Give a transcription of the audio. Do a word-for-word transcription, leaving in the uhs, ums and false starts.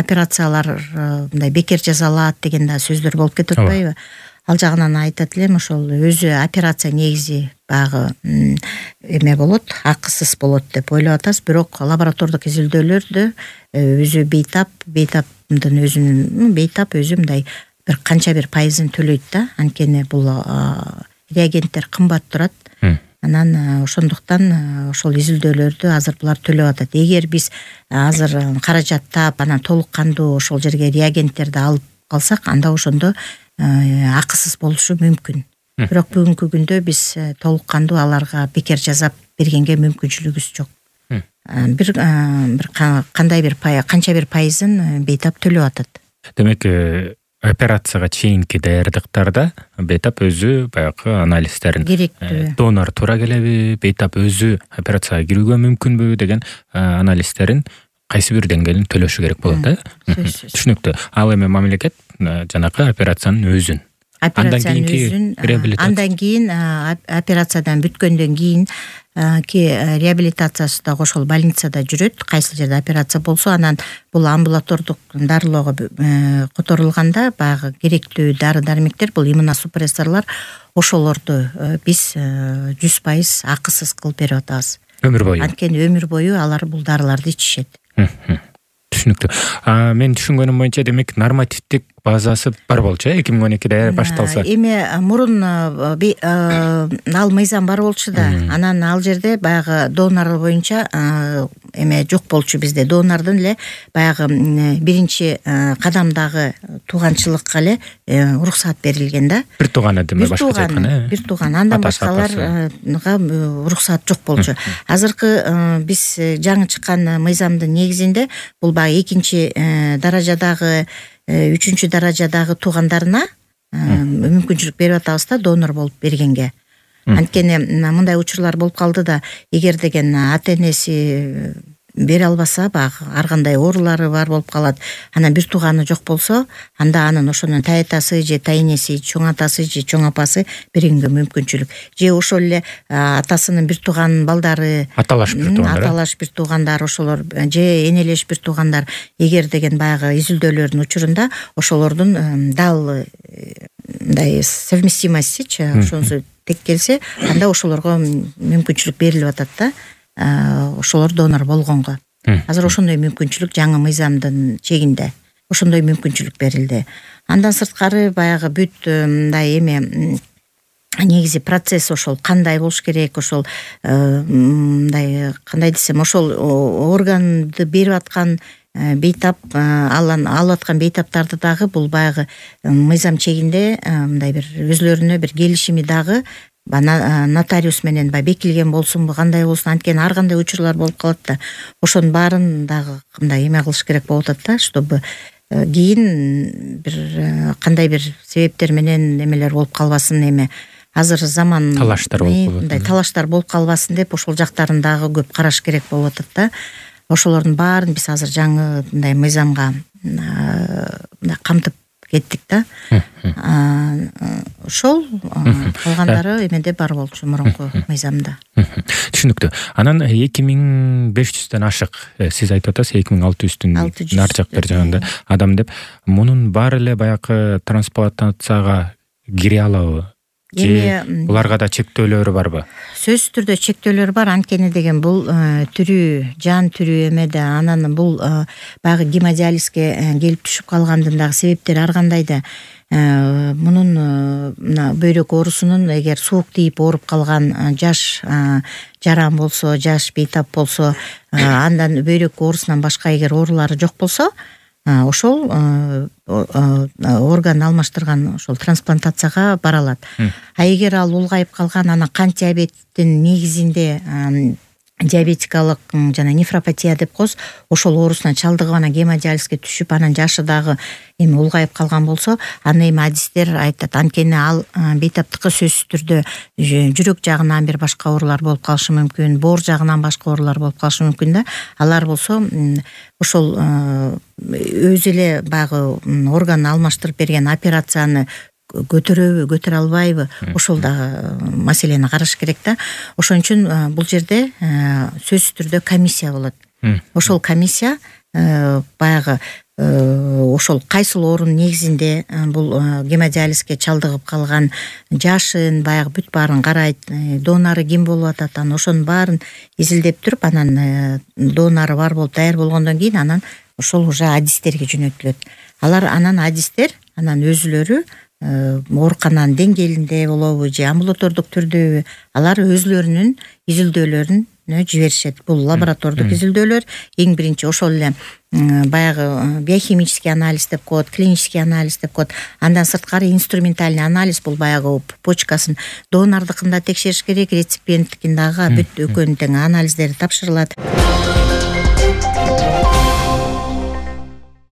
операциялар мындай бекер жасалат деген да сөздөр болуп кетип атпайбы? Ал жагынан айтат элем, ошол өзү операция негизи баягы эме болот, акысыз болот деп ойлоп атабыз, бирок лаборатордук изилдөөлөрдө өзү бейтап, бейтаптын өзүнүн бейтап өзү мындай бир канча бир пайызын төлөйт да, анткени бул реагенттер кымбат турат. Анан ошондуктан ошол изилдөөлөрдү азыр булар төлөп атат. Эгер биз азыр каражаттап, анан толук кандуу ошол жерге реагенттерди алып калсак, анда ошондо акысыз болушу мүмкүн. Бирок бүгүнкү күндө биз толук кандуу аларга бекер жасап бергенге мүмкүнчүлүгүбүз жок. Бир бир кандай бир канча бир пайызын бейтап төлөп атат. Демек, операцияга чейинки даярдыктарда бейтап өзү баягы анализдерин керектүү, донор туура келеби, бейтап өзү операцияга кирүүгө мүмкүнбү деген анализдерин кайсы бир деңгээлин төлөшү керек болот, э? Түшүнүктүү. Ал эми мамлекет жанакы операциянын өзүн, андан кийинки реабилитация, андан кийин операциядан бүткөндөн кийин ки реабилитациясы да ошол больницада жүрөт, кайсы жерде операция болсо, анан бул амбулатордук дарылоого которулганда баягы керектүү дары-дармектер, бул иммуносупрессорлор, ошолорду биз жүз пайыз акысыз кылып берип атабыз. Өмүр бою. Анткени өмүр бою алар бул дарыларды ичишет. Түшүнүктүү. Мен түшүнгөнүм боюнча, демек, нормативдик базасы бар болчу, эки миң он экиде башталса. Эми мурун ал мыйзам бар болчу да, анан ал жерде баягы донор боюнча эме жок болчу bizde. Донордун эле баягы биринчи кадамдагы тууганчылыкка эле уруксат берилген да. Бир тууганы деме башкача айтканда. Бир тууган, андан башкаларга уруксат жок болчу. Азыркы биз жаңы чыккан мыйзамдын негизинде бул баягы экинчи даражадагы, үчүнчү даражадагы туугандарына мүмкүнчүлүк берип атабыз да, донор болуп бергенге. Анткени мындай учурлар болуп калды да, эгер деген ата-энеси бере албаса, баягы ар кандай оорулары бар болуп калат. Анан бир тууганы жок болсо, анда анын ошонун тайатасы же тайнеси, чоң атасы же чоң апасы бергенге мүмкүнчүлүк. Же ошол эле атасынын бир тууган балдары, аталаш бир туугандар, аталаш бир туугандар, ошолор же энелеш бир туугандар, эгер деген баягы изилдөөлөрдүн учурунда ошолордун дал мындай совместимостичи ошонусу тек келсе, анда ошолорго мүмкүнчүлүк берилип атат да. Ошолор донор болгонго. Азыр ошондой мүмкүнчүлүк жаңы мыйзамдын чегинде ошондой мүмкүнчүлүк берилди. Андан сырткары баягы бүт мындай эме негизи процесс ошол кандай болуш керек, ошол мындай кандай десем, ошол органды берип аткан бейтап, алып аткан бейтаптарды дагы бул баягы мыйзам чегинде мындай бир өзлөрүнө бир келишими дагы нотариус менен бай бекилген болсунбу, кандай болсун, анткени ар кандай учурлар болуп калат да. Ошонун баарын дагы мындай эме кылыш керек болуп атат да, чтобы кийин бир кандай бир себептер менен эмелер болуп калбасын, эме азыр заман талаштар болуп калат. Мындай талаштар болуп калбасын деп ошол жактарын дагы көп караш керек болуп атат да. Ошолордун баарын биз азыр жаңы мындай мыйзамга камтып кеттик да. Ошол калгандары эмеде бар болчу мурунку мыйзамда. Түшүнүктүү. Анан эки миң беш жүздөн ашык, сиз айтып атасыз эки миң алты жүздүн нар жак бер жагында адам деп. Мунун баары эле баягы трансплантацияга кире алабы? Же буларга да чектөөлөрү барбы? Сөзсүз түрдө чектөөлөр бар, анткени деген бул түрү, жан түрү эмеде, анан бул баягы гемодиализге келип түшүп калгандын дагы себептери ар кандай да. Мунун мына бөйрөк оорусунун эгер суук тийип ооруп калган жаш жаран болсо, жаш бейтап болсо, андан бөйрөк оорусунан башка эгер оорулары жок болсо, ошол орган алмаштырган ошол трансплантацияга бара алат. А эгер ал улгайып калган, анан кант диабеттин негизинде диабетикалык жана нефропатия деп коебуз, ошол оорусуна чалдыгып анан гемодиализге түшүп, анан жашы дагы эми улгайып калган болсо, аны эми адистер айтат, анткени ал бейтаптыкы сөзсүз түрдө жүрөк жагынан бир башка оорулар болуп калышы мүмкүн, боор жагынан башка оорулар болуп калышы мүмкүн да. Алар болсо ошол өзү эле баягы орган алмаштырып берген операцияны көтөрөбү, көтөрө албайбы, ошол дагы маселени караш керек да. Ошон үчүн бул жерде сөзсүз түрдө комиссия болот. Ошол комиссия баягы ошол кайсыл негизинде бул гемодиализге чалдыгып калган жашын баягы бүт баарын карайт, донору ким болуп атат, анан ошонун баарын изилдеп туруп, анан донору бар болуп даяр болгондон кийин анан ошол уже адистерге жөнөтүлөт. Алар анан адистер анан өзүлөрү оорукананын деңгээлинде болобу же амбулатордук түрдөбү, алар өзүлөрүнүн изилдөөлөрүн жиберишет. Бул лаборатордук изилдөөлөр, эң биринчи ошол эле баягы биохимический анализ деп коет, клинический анализ деп коет. Андан сырткары инструментальный анализ, бул баягы почкасын донордукында текшериш керек, реципиенттикин дагы бүт экөөнүн тең анализдери тапшырылат.